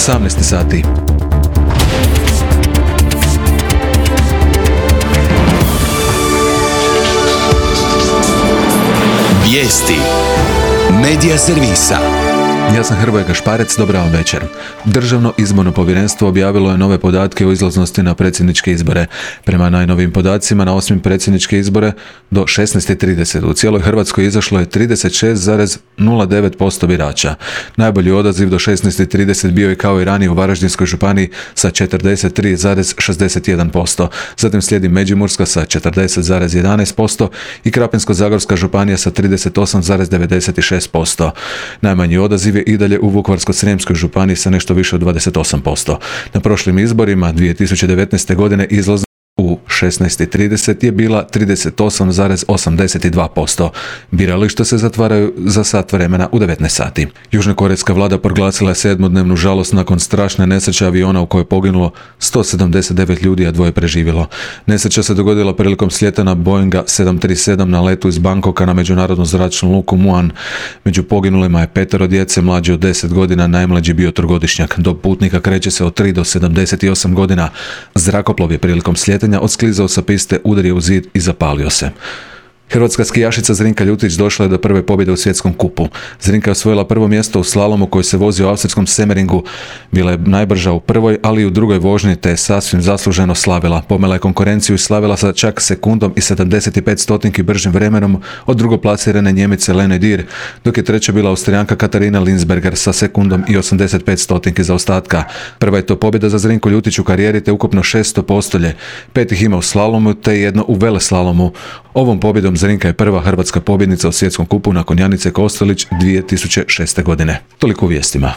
18 sati. Vijesti Medija servisa. Ja sam Hrvoje Gašparec, dobar vam večer. Državno izborno povjerenstvo objavilo je nove podatke o izlaznosti na predsjedničke izbore. Prema najnovijim podacima na 8. predsjedničke izbore do 16:30 u cijeloj Hrvatskoj izašlo je 36,09% birača. Najbolji odaziv do 16:30 bio je kao i ranije u Varaždinskoj županiji sa 43,61%. Zatim slijedi Međimurska sa 40,11% i Krapinsko-zagorska županija sa 38,96%. Najmanji odaziv je i dalje u Vukovarsko-srijemskoj županiji sa nešto više od 28%. Na prošlim izborima 2019. godine izlaznost u 16:30 je bila 38,82%. Birališta se zatvaraju za sat vremena u 19 sati. Južnokorejska vlada proglasila je 7-dnevnu žalost nakon strašne nesreće aviona u kojoj je poginulo 179 ljudi, a 2 preživjelo. Nesreća se dogodila prilikom slijetanja Boeinga 737 na letu iz Bangkoka na međunarodnu zračnu luku Muan. Među poginulima je 5 djece mlađe od 10 godina, najmlađi bio 3-godišnjak. Dob putnika kreće se od 3 do 78 godina. Zrakoplov je prilikom slijetanja odsklizao sa piste, udario u zid i zapalio se. Hrvatska skijašica Zrinka Ljutić došla je do prve pobjede u svjetskom kupu. Zrinka je osvojila prvo mjesto u slalomu koji se vozi u austrijskom Semmeringu. Bila je najbrža u prvoj, ali i u drugoj vožnji, te je sasvim zasluženo slavila. Pomela je konkurenciju i slavila sa čak sekundom i 75 stotinki bržim vremenom od drugoplasirane Njemice Lene Dir, dok je treća bila Austrijanka Katarina Linsberger sa sekundom i 85 stotinki zaostatka. Prva je to pobjeda za Zrinku Ljutić u karijeri, te ukupno 600 postolje. 5 ih ima u slalomu, te jedno u veleslalomu. Ovom pobjedom Zrinka je prva hrvatska pobjednica u svjetskom kupu nakon Janice Kostelić 2006. godine. Toliko u vijestima.